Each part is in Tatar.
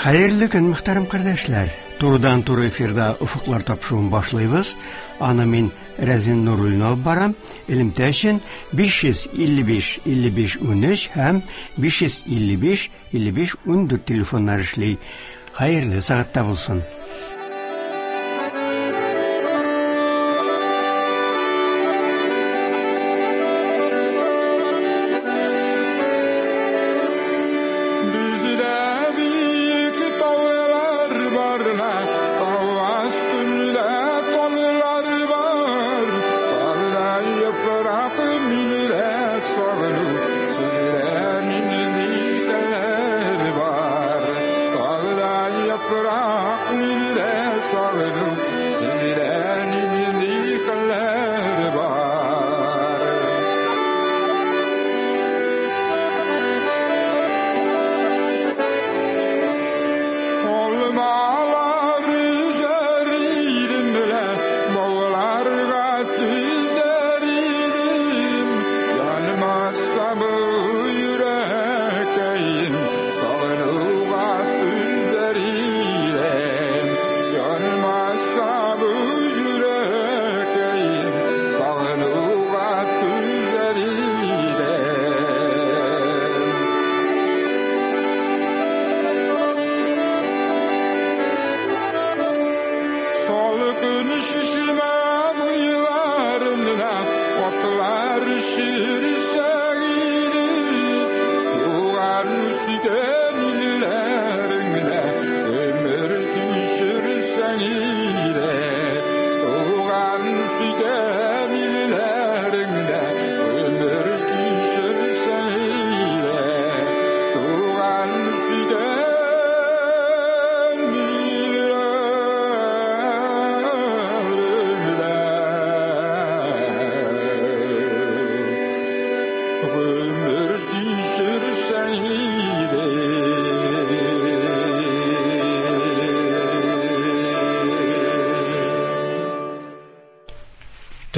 Хәерле көн, мөхтәрәм кардәшләр. Турыдан-туры эфирда Офыклар тапшыруын башлыйбыз. Аны мин Рәзин Нуруллин алып барам. Элемтә өчен 555 55 13 һәм 555 55 14 телефоннар эшли. Хәерле сәгатьтә булсын.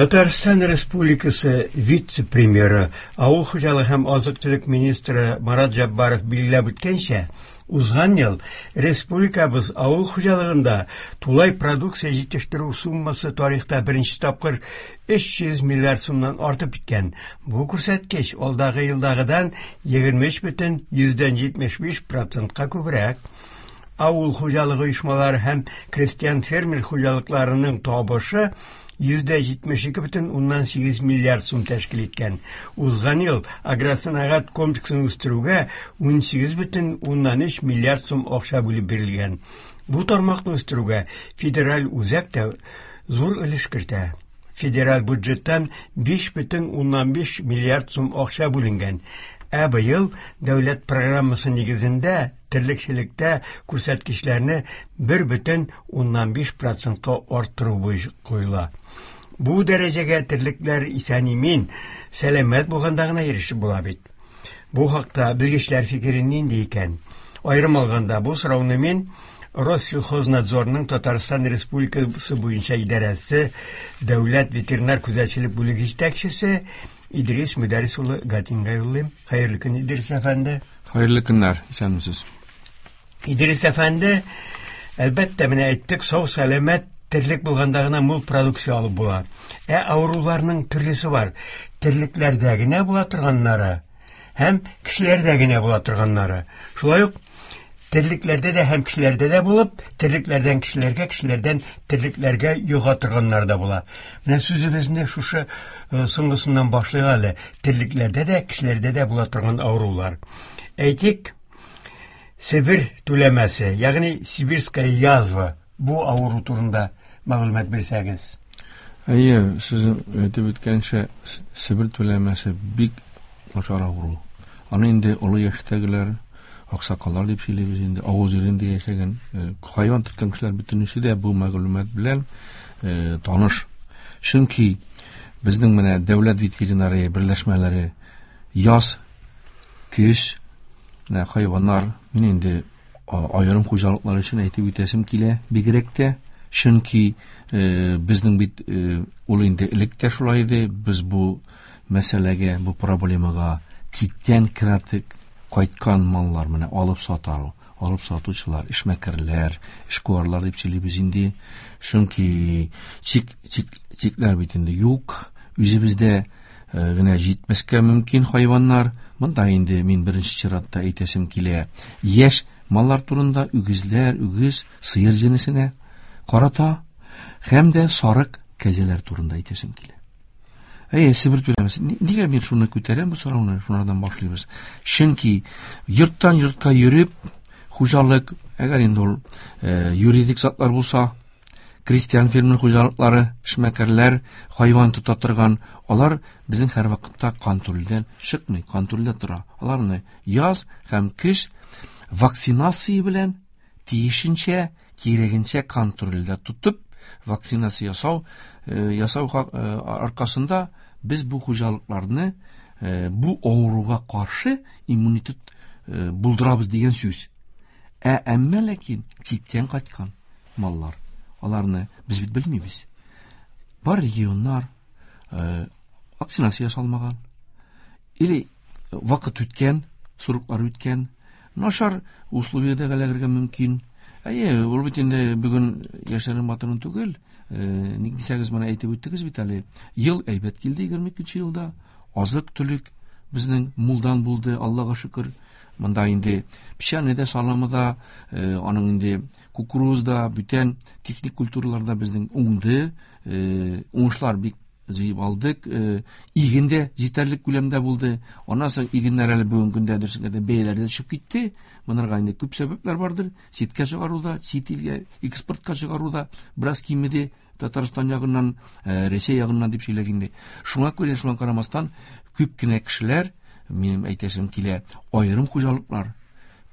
Татарстан Республикасы вице-премьеры, авыл хуҗалыгы һәм азык-төлек министры Марат Җаббаров билгеләп үткәнчә, узган ел республикабыз авыл хуҗалыгында тулай продукция җитештерү суммасы тарихта беренче тапкыр 300 миллиард сумнан артып киткән. Бу күрсәткеч алдагы елдагыдан 23,75 процентка күбрәк. Авыл хуҗалыгы оешмалары һәм крестьян-фермер хуҗалыкларының табышы 72,8 миллиард сум тәшкил иткән. Узган ел агросәнәгать комплексын үстерүгә 18,3 миллиард сум акча бүлеп бирелгән. Бу тармакны үстерүгә федераль үзәк тә зур өлеш кертә. Федераль бюджеттан 5,5 миллиард сум акча бүленгән. Ә быел дәүләт программасы нигезендә терлекчелектә күрсәткечләрне 1,5 процентка арттыру куела. Бу дәрәҗәгә терлекләр исән-имин, сәламәт булганда гына ирешеп була бит. Бу хакта белгечләр фикере нинди икән? Аерым алганда, бу сорауны мин Россельхознадзорның Татарстан Республикасы буенча идарәсе дәүләт ветеринар күзәтчелек бүлеге җитәкчесе Идрис Мөдәррис улы Гатинга юллыйм. Хәерле көн, Идрис әфәнде. Хәерле көннәр, исәнмесез. Идрис әфәнде, әлбәттә, менә әйттек, сау сәламәт терлек булганда гына мул продукция алып була. Ә авыруларның төрлесе бар. Терлекләрдә генә була торганнары һәм кешеләрдә генә була торганнары. Шулай ук терлекләрдә дә һәм кешеләрдә дә булып, терлекләрдән кешеләргә, кешеләрдән терлекләргә йога торганнар да була. Менә сүзебезне шушы соңгысыннан башлыйк әле. Терлекләрдә дә, кешеләрдә дә була торган авырулар. Әйтик, Себер түләмәсе, ягъни сибирская язва, бу авыру турында мәгълүмат бирсәгез. Әйе, сез әйтеп үткәнчә, Себер түләмәсе бик начар авыру. Аны инде олы яшьтәгеләр, аксакаллар дип сөйлибез инде, авыл җирендә яшәгән, хайван тоткан кешеләр бөтенесе дә бу мәгълүмат белән таныш. Чөнки безнең менә дәүләт ветеринария берләшмәләре яз, көз, менә хайваннар, мин инде аерым хуҗалыклар өчен әйтеп үтәсем килә, бигрәк тә, чөнки безнең бит ул инде элек тә шулай иде, без бу мәсьәләгә, бу проблемага читтән керәтек кайткан маллар менә алып сатару. Алып сатучылар, эшмәкәрләр, эшкуарлар дип сөйлибез инде. Чөнки чикләр бит инде юк. Үзебездә генә җитмәскә мөмкин хайваннар. Монда инде мин беренче чиратта әйтәсем килә. Яшь маллар турында үгезләр, үгез, сыер җенесенә карата һәм дә сарык, кәҗәләр турында әйтәсем килә. Әйе, Себер түләмәсе. Нигә мин шуны күтәрәм бу сорауны? Шунардан башлыйбыз. Чөнки йорттан йортка йөреп, хуҗалык, әгәр инде ул юридик затлар булса, крестьян фермер хуҗалыклары, эшмәкәрләр, хайван тота торган, алар безнең һәрвакытта контрольдән чыкмый, контрольдә тора. Аларны яз һәм көз вакцинация белән тиешенчә, кирәгенчә контрольдә тотып, вакцинация ясау аркасында без бу хуҗалыкларны бу авыруга каршы иммунитет булдырабыз дигән сүз. Ә әмма ләкин читтән кайткан маллар, аларны без бит белмибез. Бар регионнар вакцинация ясалмаган, или вакыт үткән, сроклар үткән, начар условиядә эләгергә мөмкин. Әйе, ул бит инде бүген яшерен батырын түгел. Ник дисәгез, моны әйтеп үттегез бит әле. Ел әйбәт килде 22 елда. Азык-төлек безнең мулдан булды, Аллага шөкер. Монда инде печәне дә, саламы да, аның инде кукуруз да, бүтән техник культуралар да безнең уңды. Уңышлар бик җыеп алдык. Иген дә җитәрлек күләмдә булды. Аннан соң игеннәр әле бүгенге көндә дөресен әйтсәң, бәяләре дә төшеп китте. Монарга инде күп сәбәпләр бардыр. Читкә чыгаруда, чит илгә экспортка чыгаруда бераз кимеде. Татарстан ягыннан, Рәсәй ягыннан дип сөйләк инде. Шуңа күрә, шуңа карамастан, күп кенә кешеләр, минем әйтәсем килә, аерым хуҗалыклар,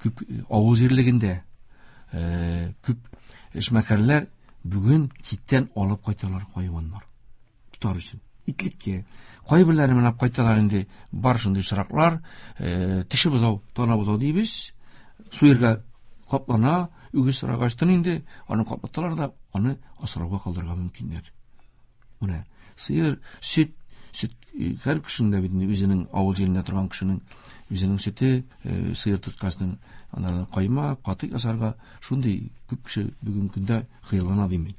күп авыл җирлегендә, күп эшмәкәрләр бүген читтән алып кайталар хайваннар. Тотар өчен. Итлеккә. Кайберләре менә кайталар инде, бар шундый очраклар, теше бозау, тана бозау дибез, суерга каплана, үгез сорагачтын инде, аны каплаталар да, аны асрауга калдырырга мөмкиннәр. Менә сыер, сөт, сөт, һәр кешенең дә бит инде үзенең авыл җирендә торган кешенең үзенең сөте, сыер тоткасының аннан каймак, катык ясарга шундый күп кеше бүгенге көндә хыяллана димин.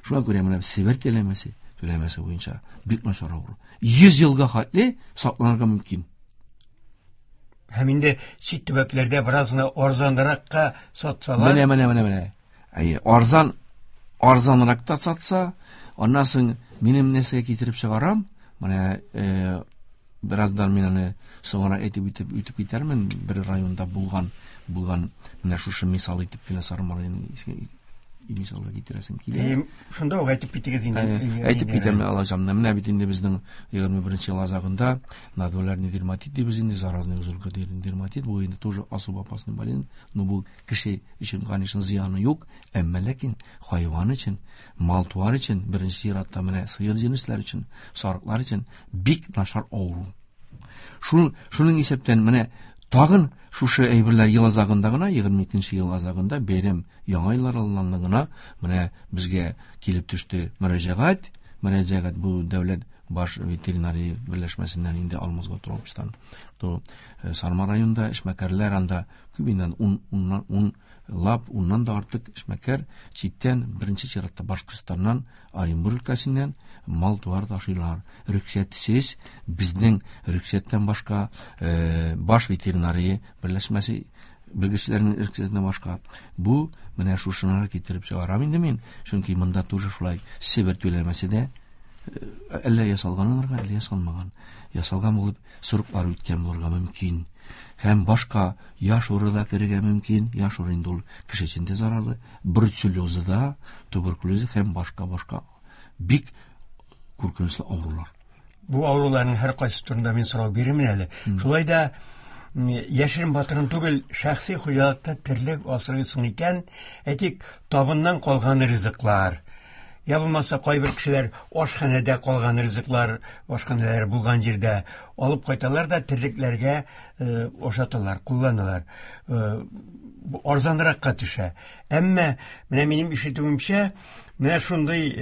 Шуңа күрә менә Себер түләмәсе буенча бик начар авыру. 100 елга хәтле сакланырга мөмкин. Һәм инде чит төбәкләрдә бераз гына арзанракка сатсалар. Менә. Әйе, арзанрак та сатса, аннан соң минем нәрсәгә китереп чыгарам, менә, бераздан мин аны соңра әйтеп үтеп китәрмен, бер районда булган менә шушы мисал итеп кенә Сарман районын мисалга китерәсем килә. Шунда ук әйтеп китегез инде. Әйтеп китәм, алачам. Менә бит инде безнең 21 ел азагында нодулярный дерматит дибез инде, заразный узелка дерматит, бу инде тоже особо опасный болезнь, но бу кеше өчен, конечно, зыяны юк, әмма ләкин хайван өчен, мал-туар өчен, беренче чиратта менә сыер җенесләр өчен, сарыклар өчен бик начар авыру. Шуның исәптән менә тагын шушы әйберләр ел азагында гына, 22 ел азагында бәйрәм яңа еллар алдыннан гына менә безгә килеп төште мөрәҗәгать. Мөрәҗәгать бу дәүләт баш ветеринария берләшмәсеннән инде Алмаз Гатровичтан. То Сарман районында эшмәкәрләр анда күп инде ун лап, уннан да артык эшмәкәр читтән, беренче чиратта Башкортстаннан, Оренбург өлкәсеннән мал-туар ташыйлар. Рөхсәтсез, безнең рөхсәттән башка, баш ветеринария берләшмәсе белгечләренең рөхсәтеннән башка. Бу менә шушынарга китереп чыгарам инде мин, чөнки монда тоже шулай Себер түләмәсе дә әллә ясалган аларга, әллә ясалмаган. Ясалган булып сроклар үткән булырга мөмкин. Һәм башка яш уры да керергә мөмкин. Яш уры инде ул кеше өчен дә зарарлы. Бруцеллезы да, туберкулезы һәм башка-башка бик куркынычлы авырулар. Бу авыруларның һәр кайсы турында мин сорау бирермен әле. Шулай да яшерен батырын түгел, шәхси хуҗалыкта терлек асрыйсың икән, әйтик, табыннан калган ризыклар, я булмаса кайбер кешеләр ашханәдә калган ризыклар, ашханәләр булган җирдә алып кайталар да терлекләргә ашаталар, кулланалар. Арзанракка төшә. Әмма менә минем ишетүемчә, менә шундый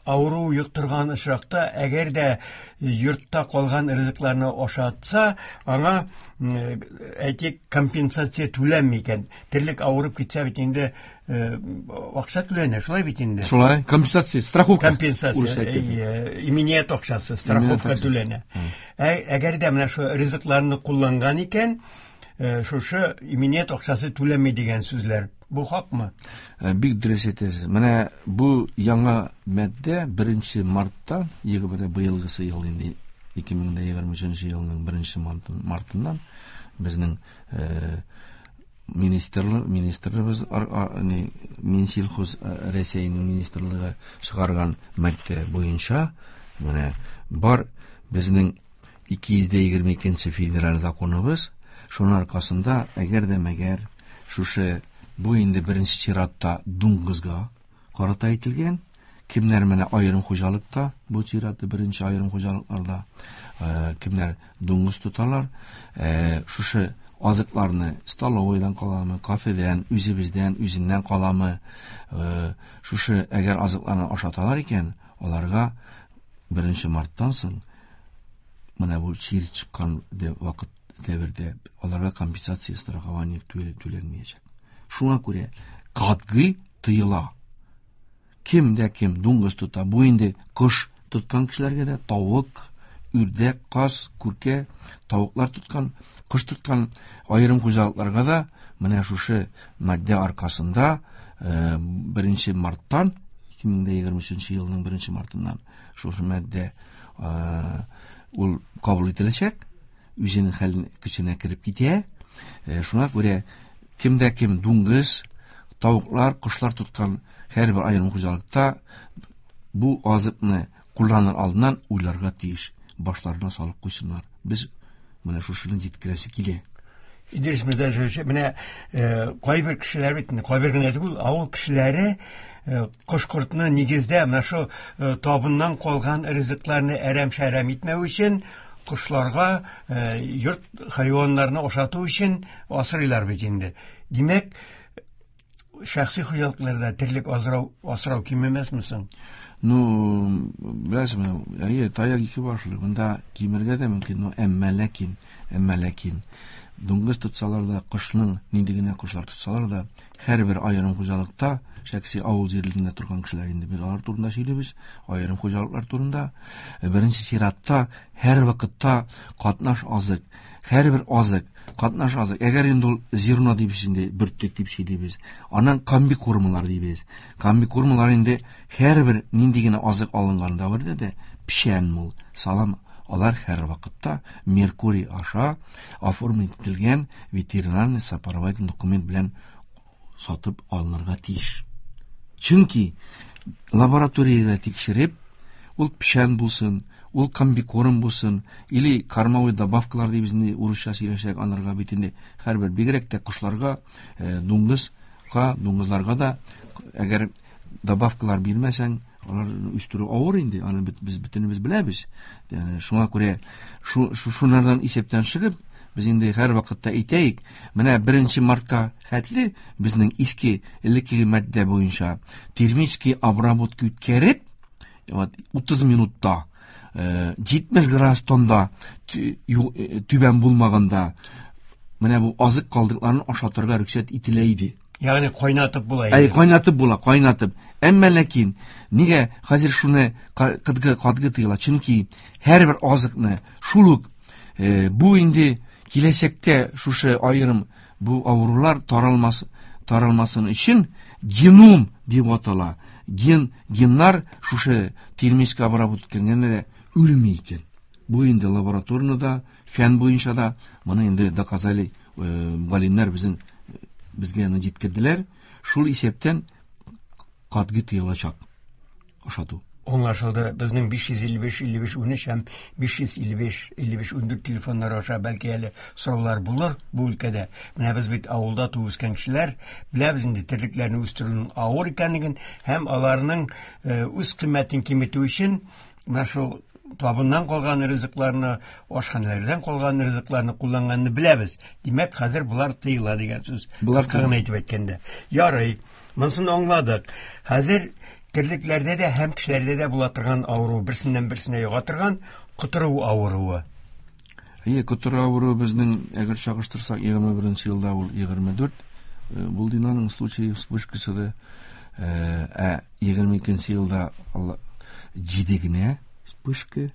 Авыру йоктырган очракта, әгәр дә йортта калган ризыкларны ашатса, аңа, әйтик, компенсация түләнми икән. Терлек авырып китсә бит инде, акча түләнә, шулай бит инде. Шулай, компенсация, страховка. Компенсация, иминият акчасы, страховка түләнә. Әгәр дә менә шу ризыкларны кулланган икән, шушы иминият акчасы түләнми дигән сүзләр. Бу хакмы? Бик дөрес әйтәсез. Менә бу яңа маддә 1 мартта, ягъни быелгысы ел инде 2023 елның 1 мартыннан безнең министрлыгыбыз, Минсельхоз Рәсәйнең министрлыгы чыгарган маддә буенча менә бар безнең 222 федераль законыбыз, шуның аркасында әгәр дә мәгәр шушы бу инде беренче чиратта дуңгызга карата әйтелгән, кемнәр менә аерым хуҗалыкта, бу чиратта беренче аерым хуҗалыкларда, кемнәр дуңгыз тоталар, шушы азыкларны столовойдан каламы, кафедән, үзебездән, үзеннән каламы, шушы әгәр азыкларны ашаталар икән, аларга 1 марттан соң менә бу чир чыккан вакыт дәвердә аларга компенсация страхование түләнмәячәк. Шуңа күрә катгый тыела. Кем дә кем дуңгыз тота, бу инде кош тоткан кешеләргә дә, тавык, үрдәк, каз, күркә, тавыклар тоткан, кош тоткан аерым хуҗалыкларга да менә шушы маддә аркасында 1 марттан, 2023 елның 1 мартыннан шушы маддә ул кабул ителәчәк, үзенең хәлен көченә кереп китә. Шуңа күрә кем дә кем дуңгыз, тавыклар, кошлар тоткан һәрбер аерым хуҗалыкта бу азыкны кулланыр алдыннан уйларга тиеш, башларына салып куйсыннар. Без менә шушыны җиткерәсе килә. Идрис Мирзаевич, менә кайбер кешеләр бит, кайбер генә түгел, авыл кешеләре кош-кортны нигездә менә шу табыннан калган ризыкларны әрәм-шәрәм итмәү өчен, кошларга, йорт хайваннарны ашату өчен асрыйлар бит инде. Димәк, шәхси хуҗалыкларда терлек асрау кимемәсме соң? Ну, беләсезме, әйе, таяк ике башлы. Монда кимергә дә мөмкин, но әмма ләкин дуңгыз тотсалар да, кошның нинди генә кошлар тотсалар да, һәрбер аерым хуҗалыкта, шәхси авыл җирлегендә торган кешеләр инде без алар турында сөйлибез, аерым хуҗалыклар турында. Беренче чиратта һәр вакытта катнаш азык, һәрбер азык, катнаш азык. Әгәр инде ул зерно дибез инде, бөртек дип сөйлибез. Аннан комбикормалар дибез. Комбикормалар инде һәрбер нинди генә азык алынганда бирде дә, печән мул, салам, алар һәр вакытта Меркурий аша оформить ителгән ветеринарный сопроводительный документ белән сатып алынырга тиеш. Чөнки лабораториядә тикшереп, ул печән булсын, ул комбикорм булсын, или кормовой добавкалар дибез инде, урысча сөйләшсәк, анарга бит инде һәрбер, бигрәк тә кошларга, дуңгызга, дуңгызларга да әгәр добавкалар бирмәсәң, алар үстерү авыр инде, аны без бөтенебез беләбез. Шуңа күрә шунардан исәптән чыгып, без инде һәр вакытта әйтәйек, менә 1 мартка хәтле безнең иске элеккеге маддә буенча термический обработка үткәреп, вот 30 минутта, 70 градустан да түбән булмаганда, менә бу азык калдыкларын ашатырга рөхсәт ителә иде. Ягъни кайнатып була инде. Әй, кайнатып була, кайнатып. Әмма ләкин нигә хәзер шуны катгы тыела? Чөнки һәрбер азыкны шул ук, бу инде киләчәктә шушы аерым бу авырулар таралмасын өчен геном дип атала. Геннар шушы термический обработка үткәргәндә дә үлми икән. Бу инде лабораторныйда, фән буенча да моны инде доказали, галимнәр безгә аны җиткерделәр. Шул исәптән катгый тыелачак ашату. Аңлашылды. Безнең 555 55 13 һәм 555 55 14 телефоннары аша бәлки әле сораулар булыр бу өлкәдә. Менә без бит авылда туып үскән кешеләр, беләбез инде терлекләрне үстерүнең авыр икәнлеген һәм аларның үз кыйммәтен киметү өчен менә шул табыннан калган ризыкларны, ашханәләрдән калган ризыкларны кулланганны беләбез. Димәк, хәзер булар тыела дигән сүз. Булар Кыска гына тыела. әйтеп әйткәндә. Ярый, монысын аңладык. Хәзер Терлекләрдә дә һәм кешеләрдә дә була торган авыру, берсеннән берсенә йога торган котыру авыруы. Әйе, котыру авыруы безнең, әгәр чагыштырсак, 21 елда ул 24 булды инде аның случае вспышкасы да. Ә 22 елда 7 генә вспышка.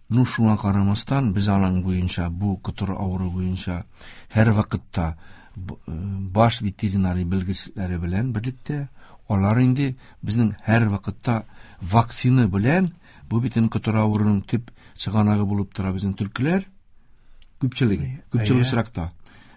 Ну, шуңа карамастан, без аның буенча, бу котыру авыруы буенча һәр вакытта баш ветеринарий белгечләре белән берлектә, алар инде безнең һәр вакытта вакцина белән, бу бит котыру авыруының төп чыганагы булып тора безнең төлкеләр, күпчелеге, күпчелек очракта.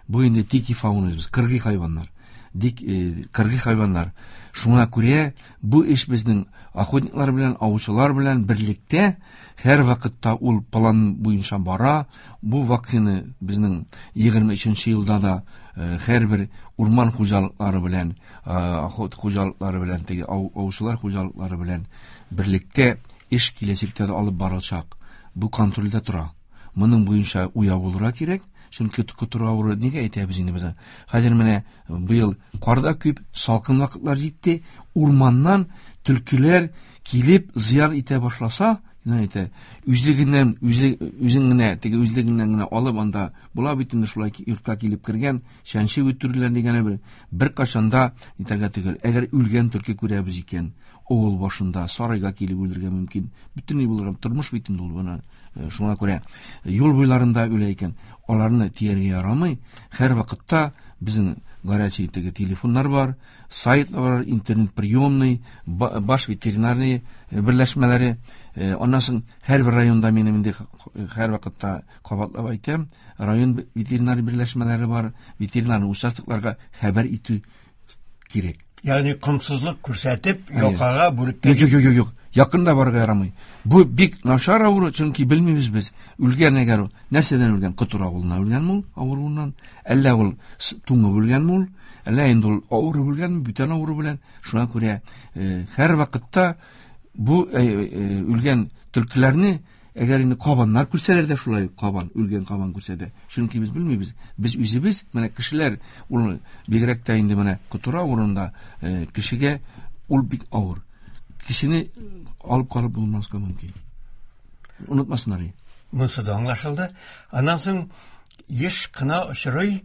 Бу инде дикий фауна, без кыргый хайваннар. Кыргый хайваннар. Шуңа күрә бу эш безнең охотниклар белән, аучылар белән берлектә һәр вакытта ул план буенча бара. Бу вакцина безнең 23 елда да һәрбер урман хуҗалыклары белән, охот хуҗалыклары белән, теге аучылар хуҗалыклары белән берлектә эш киләчәктә дә алып барылачак. Бу контрольдә тора. Моның буенча уяу булырга кирәк. Чөнки котыру авыруы нигә әйтәбез инде без? Хәзер менә быел кар да күп, салкын вакытлар җитте, урманнан төлкеләр килеп зыян итә башласа, әйтә, үзлегеннән, үзе, үзең генә, теге үзлегеннән генә алып анда була бит инде шулай йортка килеп кергән, чәнче үтерүләр дигәне бер кашанда итәргә түгел. Әгәр үлгән төлке күрәбез икән, авыл башында сарайга килеп үлергә мөмкин. Бөтенләй булырга, тормыш бит инде ул моны. Шуңа күрә юл буйларында үлә икән, аларны тияргә ярамый. Һәр вакытта безнең горячий теге телефоннар бар, сайтлар бар, интернет приемный, баш ветеринарный берләшмәләре. Аннан соң һәрбер районда минем инде һәр вакытта кабатлап әйтәм, район ветеринар берләшмәләре бар, ветеринар участокларга хәбәр итү кирәк. Ягъни комсызлык күрсәтеп, якага бүреккә. Юк, юк, юк, юк. Якын да барырга ярамый. Бу бик начар авыру, чөнки белмибез без. Үлгән әгәр ул, нәрсәдән үлгән? Котыру авыруыннан үлгәнме ул, авыруыннан? Әллә ул туңып үлгәнме ул? Әллә инде ул авырып үлгәнме, бүтән авыру белән? Шуңа күрә һәр вакытта бу үлгән төлкеләрне, әгәр инде кабаннар күрсәләр дә шулай, кабан, үлгән кабан күрсә дә, чөнки без белмибез. Без үзебез, менә кешеләр, ул бигрәк тә инде менә котыру авыруында кешегә ул бик авыр. Кешене алып калып булмаска мөмкин. Онытмасыннар. Монысы да аңлашылды. Аннан соң еш кына очрый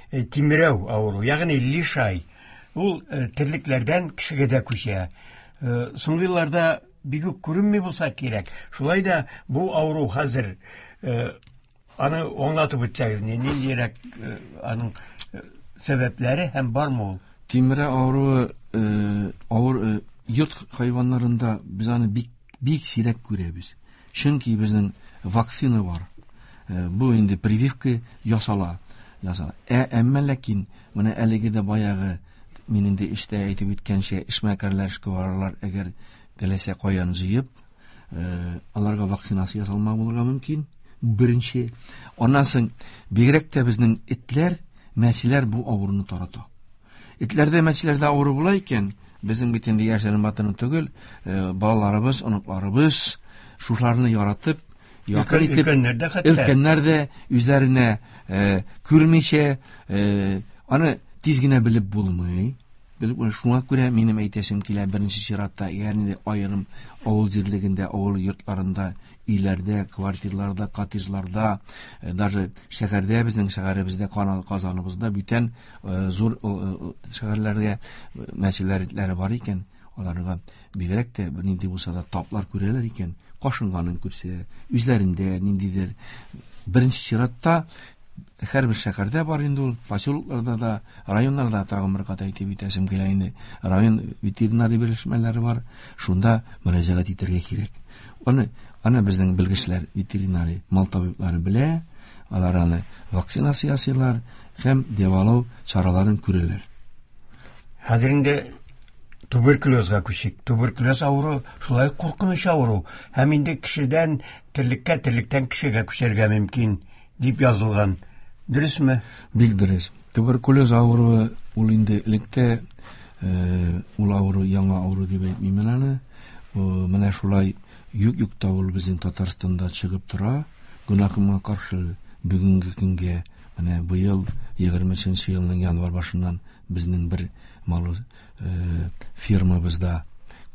тимерәү авыру, ягъни лишай. Ул терлекләрдән кешегә дә күчә. Соңгы елларда бик үк күренми булса кирәк. Шулай да бу авыру хәзер, аны аңлатып үтсәгез, ниндирәк аның сәбәпләре һәм бармы ул? Тимерәү авыруы авыр йорт хайваннарында без аны бик, бик сирәк күрәбез. Чөнки безнең вакцина бар. Бу инде прививка ясала, ясала. Әмма ләкин менә әлеге дә баягы мин инде эштә әйтеп үткәнчә, эшмәкәрләр, эшкуарлар әгәр теләсә каян җыеп, аларга вакцинация ясалмаган булырга мөмкин. Беренче. Аннан соң бигрәк тә безнең этләр, мәчеләр бу авыруны тарата. Этләрдә, мәчеләрдә авыру була икән, безнең бит инде яшьләрнең батырын түгел, балаларыбыз, оныкларыбыз шушыларны яратып, якын итеп, өлкәннәр дә хәтта. Өлкәннәр дә үзләренә күрмичә, аны тиз генә белеп булмый. Белеп булмый. Шуңа күрә минем әйтәсем килә, беренче чиратта, ягъни аерым авыл җирлегендә, авыл йортларында, өйләрдә, квартирларда, коттеджларда, даже шәһәрдә, безнең шәһәребездә, Казаныбызда бүтән зур шәһәрләргә мәчеләр бар икән, аларга бигрәк тә нинди булса да таплар күрәләр икән, кашынганын күрсә, үзләрендә ниндидер беренче чиратта һәрбер шәһәрдә бар инде ул, поселокларда да, районнарда тагын бер кат әйтеп үтәсем килә инде. Район ветеринария берләшмәләре бар, шунда мөрәҗәгать итәргә кирәк. Аны безнең белгечләр, ветеринария, мал табиблары белә, алар аны вакцинация ясыйлар һәм дәвалау чараларын күрәләр. Хәзер инде туберкулезга күчик. Туберкулез авыру шулай куркыныч авыру һәм инде кешедән терлеккә, терлектән кешегә күчәргә мөмкин дип язылган. Дөресме? Бик дөрес. Туберкулез авыруы ул инде электә, ул авыру яңа авыру дип әйтмим мин аны. Менә шулай юк-юк та ул безнең Татарстанда чыгып тора. Гөнаһыма каршы бүгенге көнгә менә быел егерме өченче елның январь башыннан безнең бер мал фирмабызда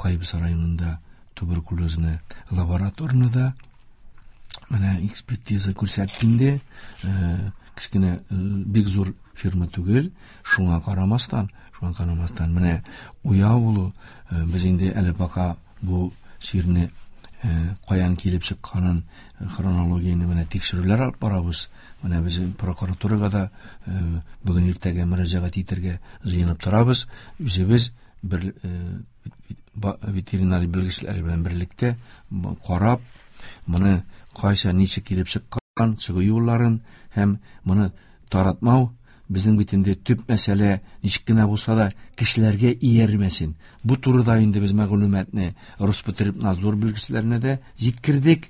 Кайбыч районында туберкулезны лабораторны да менә экспертиза күрсәтте инде. Кечкенә, бик зур фирма түгел, шуңа карамастан, менә уяу булу, без инде әле пока бу чирне каян килеп чыкканын, хронологияне менә тикшерүләр алып барабыз. Менә без прокуратурага да бүген иртәгә мөрәҗәгать итәргә җыенып торабыз. Үзебез бер ветеринар белгечләр белән берлектә карап, моны кайчан ничек килеп чыккан, чыгу юлларын һәм моны таратмау безнең бит инде төп мәсьәлә, ничек кенә булса да кешеләргә иярмәсен. Бу турыда инде без мәгълүматны Роспотребнадзор белгечләренә дә җиткердек.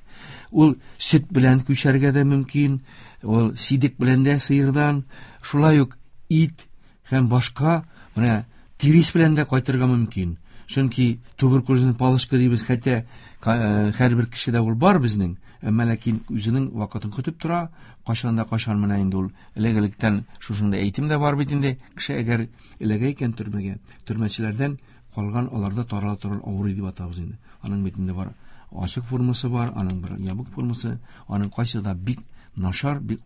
Ул сөт белән күчәргә дә мөмкин, ул сидек белән дә сыердан, шулай ук ит һәм башка менә тирес белән дә кайтырга мөмкин. Чөнки туберкулезный палочка дибез, хәтта һәрбер кешедә ул бар безнең, әмма ләкин үзенең вакытын көтеп тора, кайчан да кайчан менә инде ул элек-электән шушында әйтем дә бар бит инде, кеше әгәр эләгә икән төрмәгә, төрмәчеләрдән калган аларда тарала торган авыру дип атабыз инде. Аның бит инде бар ачык формасы бар, аның бер ябык формасы, аның кайсы да бик начар, бик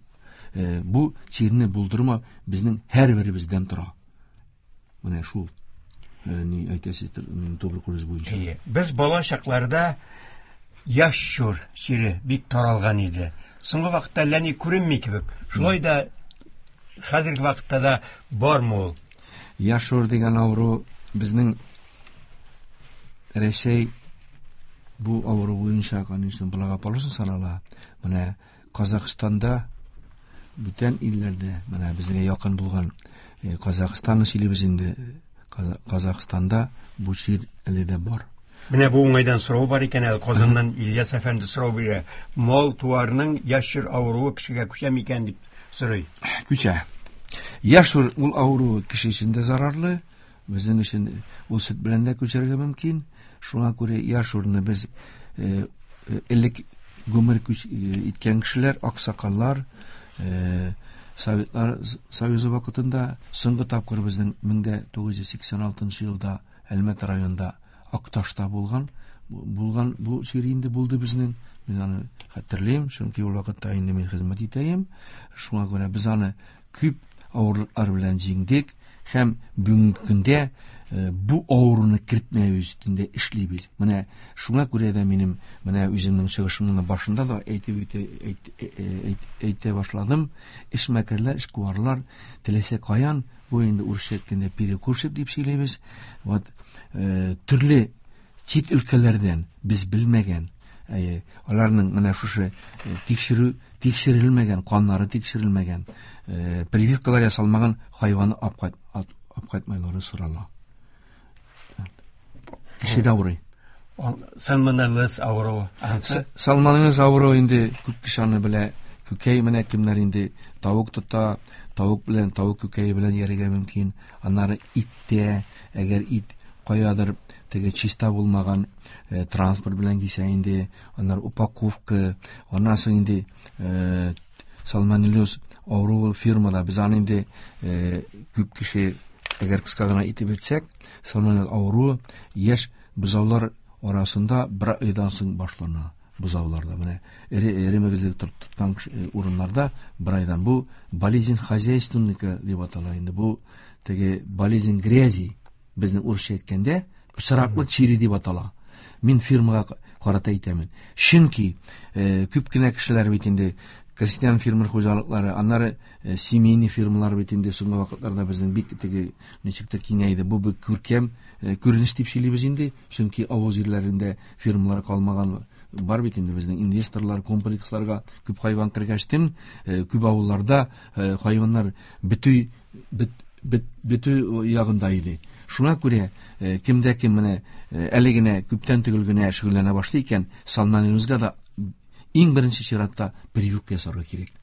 бу чирне булдырма безнең һәрберебездән тора. Менә шул ни әйтәсе туберкулез буенча. Без бала чакларда яшь чур чире бик таралган иде. Соңгы вакытта әллә ни күренми кебек. Шулай да хәзерге вакытта да бармы ул? Яшь чур дигән авыру безнең Рәсәй бу авыру буенча, конечно, благополучно санала. Менә Казахстанда, бүтән илләрдә, менә безгә якын булган Казахстанны сөйлибез инде. Казахстанда бу чир әле дә бар. Менә бу уңайдан сорау бар икән әле, Казаннан Ильяс әфәнде сорау бирә. Мал-туарның яшь чир авыруы кешегә күчә микән дип сорый. Күчә. Яшь чир ул авыруы кеше өчен дә зарарлы, безнең өчен ул сөт белән дә күчәргә мөмкин. Шуңа күрә яшь чирне без элек гомер иткән кешеләр, аксакаллар, Советлар Союзы вакытында соңгы тапкыр безнең 1986 елда Әлмәт районында Акташта булган бу чир инде булды безнең. Мин аны хәтерлим, чөнки ул вакытта инде мин хезмәт итәем. Шуңа күрә без аны күп авырлыклар белән җиңдек һәм бүгенге көндә бу авыруны кертмәү өстендә эшлибез. Менә шуңа күрә дә минем менә үземнең чыгышымның башында да әйтеп әйтә башладым. Эшмәкәрләр, эшкуарлар теләсә каян, бу инде урысча әйткәндә перекурщик дип сөйлибез. Вот төрле чит өлкәләрдән без белмәгән, аларның менә шушы тикшерү тикшерелмәгән, каннары тикшерелмәгән, прививкалар ясалмаган хайванны алып кайтмайлары сорала. Кеше дә авырый. Сальмонеллез авыруы. Сальмонеллез авыруы инде күп кеше аны белә. Күкәй менә кемнәр инде тавык тота, тавык белән, тавык күкәе белән ярырга мөмкин. Аннары иттә, әгәр ит каядыр теге чиста булмаган транспорт белән килсә инде, аннары упаковка, аннан соң инде сальмонеллез авыруы фирмада без аны инде күп кеше, әгәр кыска гына итеп әйтсәк, сальмонеллез авыруы яшь бозаулар арасында бер айдан соң башлана. Бозауларда менә эре мөгезле тоткан урыннарда бер айдан. Бу болезнь хозяйственника дип атала инде. Бу теге болезнь грязи, безнең урысча әйткәндә, пычраклык чире дип атала. Мин фирмага карата әйтәмен. Чөнки күп кенә кешеләр бит инде крестьян фермер хуҗалыклары, аннары семейный фирмалар бит инде соңгы вакытларда безнең бик теге ничектер киңәйде. Бу бик күркәм күренеш дип сөйлибез инде, чөнки авыл җирләрендә фирмалар калмаган. Бар бит инде безнең инвесторлар комплексларга күп хайван кергәчтен, күп авылларда хайваннар бетү ягында иде. Шуңа күрә кемдә кем менә әле генә күптән түгел генә шөгыльләнә башлый икән, сальмонеллезга да иң беренче чиратта прививка ясарга кирәк.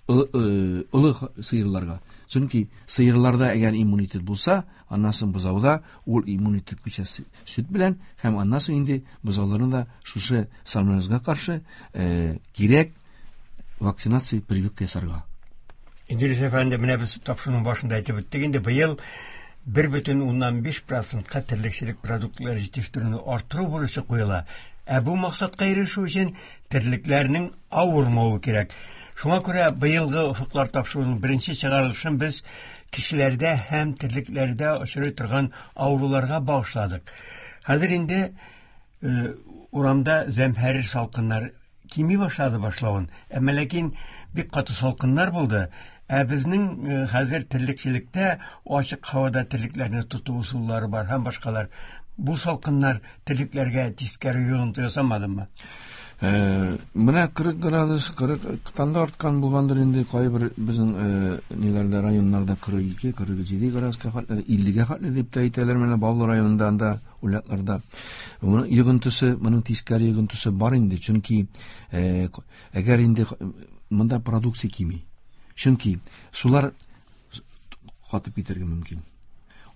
Олы сыерларга. Чөнки сыерларда әгәр иммунитет булса, аннан соң бозауда ул иммунитет күчә сөт белән, һәм аннан соң инде бозауларны да шушы сальмонеллезга каршы кирәк вакцинация, прививка ясарга. Идрис әфәнде, менә без тапшыруның башында әйтеп үттек инде, быел 1,5 процентка терлекчелек продуктлары җитештерүне арттыру бурычы куела. Ә бу максатка ирешү өчен терлекләрнең авырмавы кирәк. Шуңа күрә быелгы офыклар тапшыруының беренче чыгарылышын без кешеләрдә һәм терлекләрдә очрый торган авыруларга багышладык. Хәзер инде урамда зәмһәрир салкыннар кими башлады башлавын. Әмма ләкин бик каты салкыннар булды. Ә безнең хәзер терлекчелектә ачык һавада терлекләрне тоту ысуллары бар һәм башкалар. Бу салкыннар терлекләргә тискәре йогынты ясамадымы? Менә 40 градус, 40-тан да арткан булгандыр инде кайбер безнең ниләрдә, районнарда 42, 47 градуска хәтле, 50-гә хәтле дип тә әйтәләр. Менә Баулы районында анда улятларда. Моның йогынтысы, моның тискәре йогынтысы бар инде, чөнки әгәр инде монда продукция кими. Чөнки сулар катып китәргә мөмкин.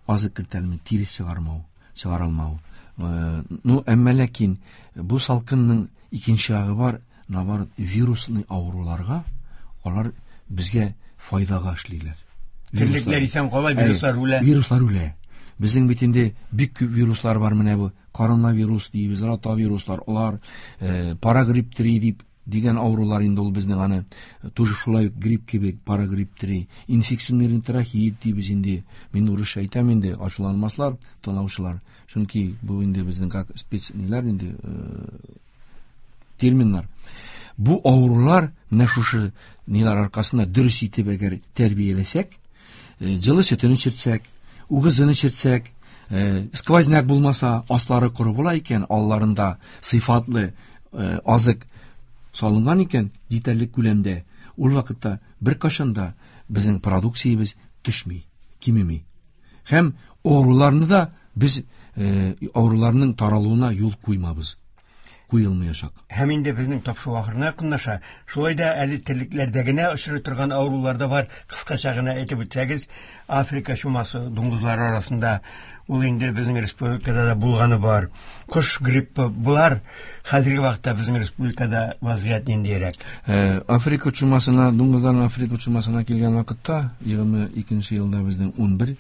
Азык кертәлми, тирес чыгармау, чыгарылмау. Ну, әмма ләкин бу салкынның икенче ягы бар, наоборот, вирусный авыруларга алар безгә файдага эшлиләр. Терлекләр исән кала, вируслар үлә. Вируслар үлә. Безнең бит инде бик күп вируслар бар, менә бу коронавирус дибез, ротавируслар, алар парагрипп 3 дип дигән авырулар инде ул безнең аны тоже шулай грипп кебек, парагрипп 3, инфекционный трахеит дибез инде. Мин урысча әйтәм инде, ачуланмаслар тыңлаучылар. Чөнки бу инде безнең как спец ниләр инде терминнар. Бу авырулар менә шушы ниләр аркасында дөрес итеп әгәр тәрбияләсәк, җылы сөтен эчертсәк, угызын эчертсәк, сквозняк булмаса, аслары коры була икән, алларында сыйфатлы азык салынган икән, җитәрлек күләмдә, ул вакытта беркайчан да безнең продукциябез төшми, кимеми. Һәм авыруларны да без авыруларның таралуына юл куймабыз. Куелмаячак. Һәм инде безнең тапшыру ахырына якынлаша. Шулай да әле терлекләрдә генә очрый торган авырулар да бар. Кыскача гына әйтеп үтсәгез, Африка чумасы дуңгызлары арасында ул инде безнең республикада да булганы бар. Кош гриппы, булар хәзерге вакытта безнең республикада вазгыять ниндирәк? Африка чумасына, дуңгызларның Африка чумасына килгән вакытта 22 елда безнең 11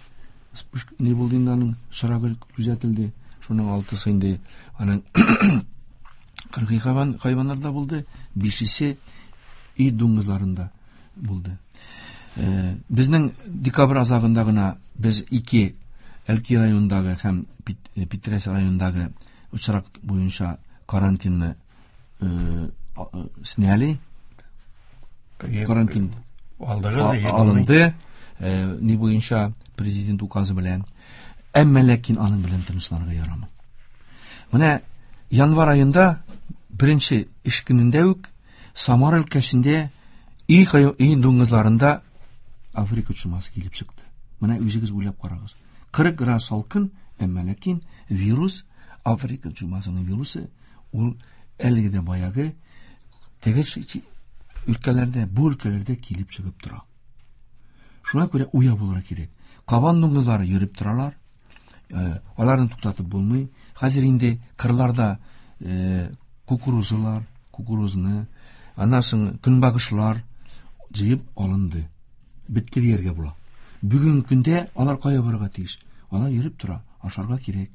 ни булды инде, аның очрагы күзәтелде. Шуның 6-сы инде аның кыргый хайваннарда булды, 5-се өй дуңгызларында булды. Безнең декабрь азагында гына без 2 Әлки районындагы һәм Питрәч районындагы очрак буенча карантинны сняли. Карантин алынды. Ни буенча президент указы белән. Әмма ләкин аның белән тынычланырга ярамый. Менә январь айында беренче эш көнендә үк Самара өлкәсендә өй дуңгызларында Африка чумасы килеп чыкты. Менә үзегез уйлап карагыз. 40 градус салкын, әмма ләкин вирус, Африка чумасының вирусы, ул әлеге дә баягы теге өлкәләрдә, бу өлкәләрдә килеп чыгып тора. Шуңа күрә уяу булырга кирәк. Кабан дуңгызлары йөреп торалар. Аларны туктатып булмый. Хәзер инде кырларда кукурузлар, кукурузны, аннан соң көнбагышлар җыеп алынды. Бетте дияргә була. Бүгенге көндә алар кая барырга тиеш? Алар йөреп тора, ашарга кирәк.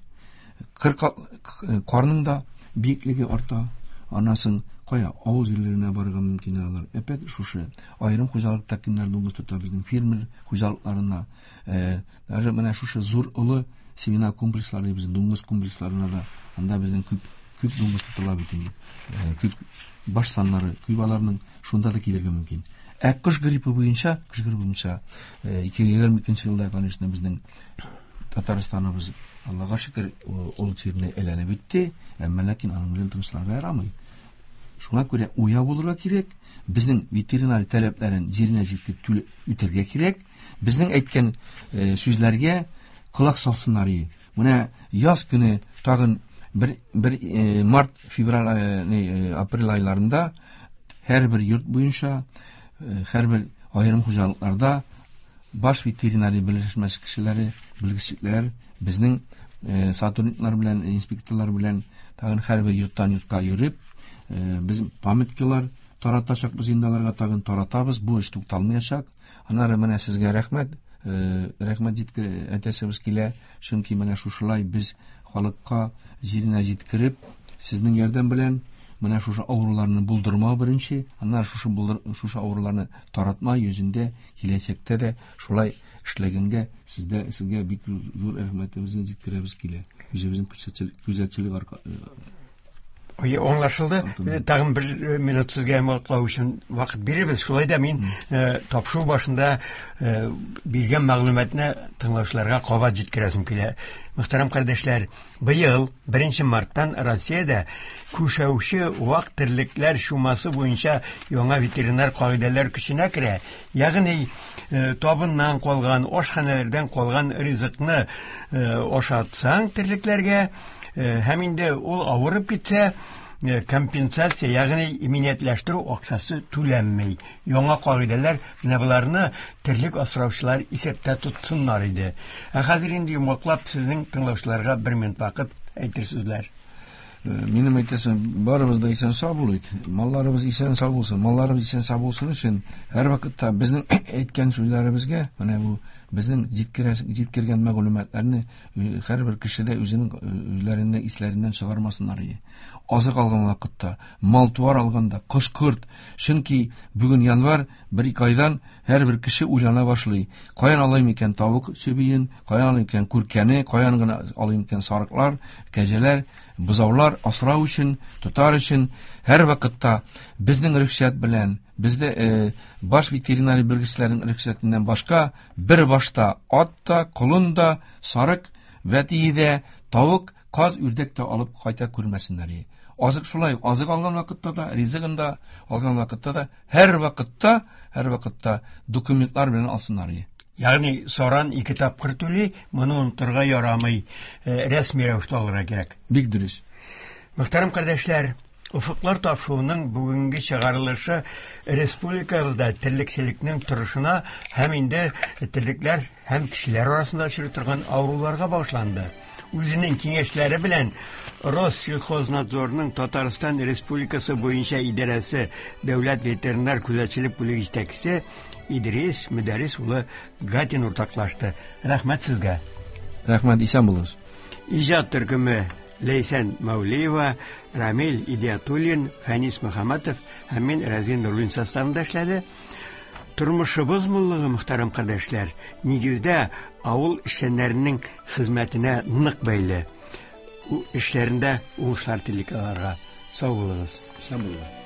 Карның да биеклеге арта. Аннан соң кая авыл җирләренә барырга мөмкин алар. Әпәт шушы аерым хуҗалыкта кемнәр дуңгыз тота, безнең фермер хуҗалыкларына, даже менә шушы зур олы семинар комплекслары, безнең дуңгыз комплексларына да, анда безнең күп дуңгыз тотыла бит инде. Күп баш саннары, күп аларның шунда да килергә мөмкин. Ә кош гриппы буенча, 2022 елда, конечно, безнең Татарстаныбыз, Аллага шөкер, ул чирне әйләнеп үтте, әмма ләкин аның белән тынычланырга ярамый. Шуңа күрә уяу булырга кирәк, безнең ветеринар таләпләрен җиренә җиткереп үтәргә кирәк, безнең әйткән сүзләргә колак салсыннар иде. Менә яз көне тагын бер март, февраль, апрель айларында һәрбер йорт буенча, һәрбер аерым хуҗалыкларда баш ветеринария берләшмәсе кешеләре, белгечлекләр, безнең сотрудниклар белән, инспекторлар белән тагын һәрбер йорттан йортка йөреп, без памяткалар таратачакбыз инде, аларга тагын таратабыз. Бу эш тукталмаячак. Аннары менә сезгә рәхмәт. рәхмәт әйтәсебез килә, чөнки менә шушылай без халыкка җиренә җиткереп, сезнең ярдәм белән менә шушы авыруларны булдырмау беренче, аннары шушы шушы авыруларны таратма йөзендә киләчәктә дә шулай эшләгәнгә сезгә бик зур рәхмәтебезне җиткерәбез килә. Үзебезнең күзәтчелек Аңлашылды. Тагын бер минут сезгә йомгаклау өчен вакыт бирербез. Шулай да мин тапшыру башында биргән мәгълүматны тыңлаучыларга кабат җиткерәсем килә. Мөхтәрәм кардәшләр, быел 1 марттан Россиядә күшәүче вак терлекләр чумасы буенча яңа ветеринар кагыйдәләр көченә керә. Ягъни табыннан калган, ашханәләрдән калган ризыкны ашатсаң терлекләргә, һәм инде ул авырып китсә, компенсация, ягъни иминиятләштерү акчасы түләнми. Яңа кагыйдәләр менә боларны терлек асраучылар исәптә тотсыннар иде. Ә хәзер инде йомгаклап сезнең тыңлаучыларга бер минут вакыт әйтер сүзләр. Минем әйтәсем, барыбыз да исән сау булыйк. Малларыбыз исән сау булсын. Малларыбыз исән сау булсын өчен һәр вакытта безнең әйткән сүзләребезгә, менә бу безнең җиткергән мәгълүматларны һәрбер кеше дә үзенең үзләренең исләреннән чыгармасыннар иде. Азык алган вакытта, мал-туар алганда, кош-корт, чөнки бүген январь, бер-ике айдан һәрбер кеше уйлана башлый. Каян алыйм икән тавык чебиен, каян алыйм икән күркәне, каян гына алыйм икән сарыклар, кәҗәләр, бозаулар асрау өчен, тотар өчен һәр вакытта безнең рөхсәт белән, бездә баш ветеринария белгечләренең рөхсәтеннән башка бер башта ат та, колын да, сарык, вәтие дә, тавык, каз, үрдәк тә алып кайта күрмәсеннәр. Азык шулай, азык алган вакытта да, ризыгын да алган вакытта да, һәр вакытта документлар белән алсыннар. Ягъни саран ике тапкыр түли, моны онытырга ярамый, рәсми рәвештә алырга кирәк. Бик дөрес. Мөхтәрәм кардәшләр, Офыклар тапшыруының бүгенге чыгарылышы республикабызда терлекчелекнең торышына һәм инде терлекләр һәм кешеләр арасында очрый торган авыруларга багышланды. Үзенең киңәшләре белән Россельхознадзорның Татарстан Республикасы буенча идарәсе дәүләт ветеринар күзәтчелек бүлеге җитәкчесе Идрис Мөдәррис улы Гатин уртаклашты. Рәхмәт сезгә. Рәхмәт, исән булыгыз. Иҗат төркеме Ләйсән Мәүлиева, Рамил Идиатуллин, Фәнис Мөхәммәтов һәм мин Рәзин Нурлин составында эшләде. Тормышыбыз муллыгы, мөхтәрәм кардәшләр, нигездә авыл эшчәннәренең хезмәтенә нык бәйле. Эшләрендә уңышлар телик аларга. Сау булыгыз. Исән булыгыз.